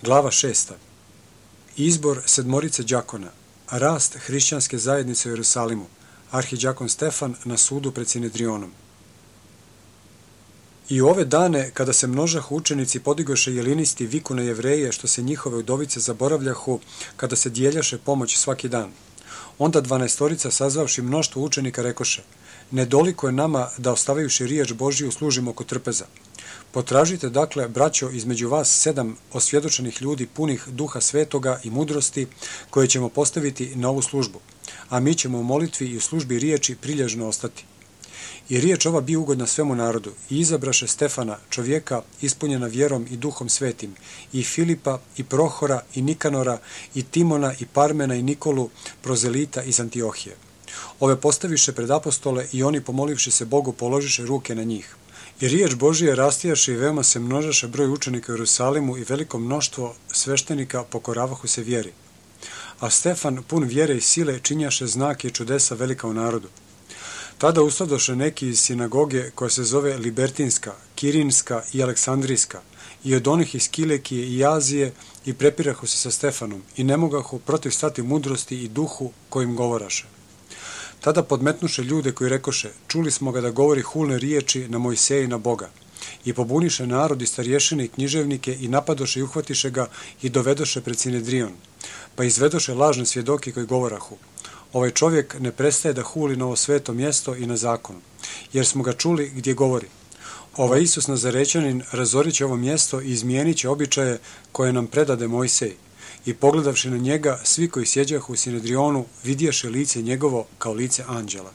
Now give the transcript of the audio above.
Glava 6. Izbor sedmorice đakona. Rast hrišćanske zajednice u Jerusalimu. Arhidjakon Stefan na sudu pred Sinedrionom. I u ove dane, kada se množahu učenici podigoše jelinisti viku na Jevreje, što se njihove udovice zaboravljahu, kada se dijeljaše pomoć svaki dan. Onda 12 sazvavši mnoštvo učenika rekoše: nedoliko je nama da ostavivši riječ Božiju služimo oko trpeza. Potražite dakle, braćo, između vas 7 osvjedočenih ljudi punih duha svetoga i mudrosti, koje ćemo postaviti na ovu službu, a mi ćemo u molitvi i u službi riječi prilježno ostati. I riječ ova bi ugodna svemu narodu, i izabraše Stefana, čovjeka ispunjena vjerom i duhom svetim, i Filipa, i Prohora, i Nikanora, i Timona, i Parmena, i Nikolu, prozelita iz Antiohije. Ove postaviše pred apostole i oni, pomolivši se Bogu, položiše ruke na njih. I riječ Božije rastijaše i veoma se množaše broj učenika u Jerusalimu i veliko mnoštvo sveštenika pokoravahu se vjeri. A Stefan, pun vjere i sile, činjaše znake i čudesa velika u narodu. Tada ustadoše neki iz sinagoge koja se zove Libertinska, Kirinska i Aleksandrijska, i od onih iz Kilekije i Azije, i prepirahu se sa Stefanom i ne mogahu protiv stati mudrosti i duhu kojim govoraše. Tada podmetnuše ljude koji rekoše: čuli smo ga da govori hulne riječi na Mojseja i na Boga. I pobuniše narod i starješine i književnike i napadoše i uhvatiše ga i dovedoše pred Sinedrion. Pa izvedoše lažne svjedoke koji govorahu: ovaj čovjek ne prestaje da huli na ovo sveto mjesto i na zakon, jer smo ga čuli gdje govori: ovaj Isus Nazarećanin razorit će ovo mjesto i izmijenit će običaje koje nam predade Mojsej. I pogledavši na njega, svi koji sjeđahu u Sinedrionu vidješe lice njegovo kao lice anđela.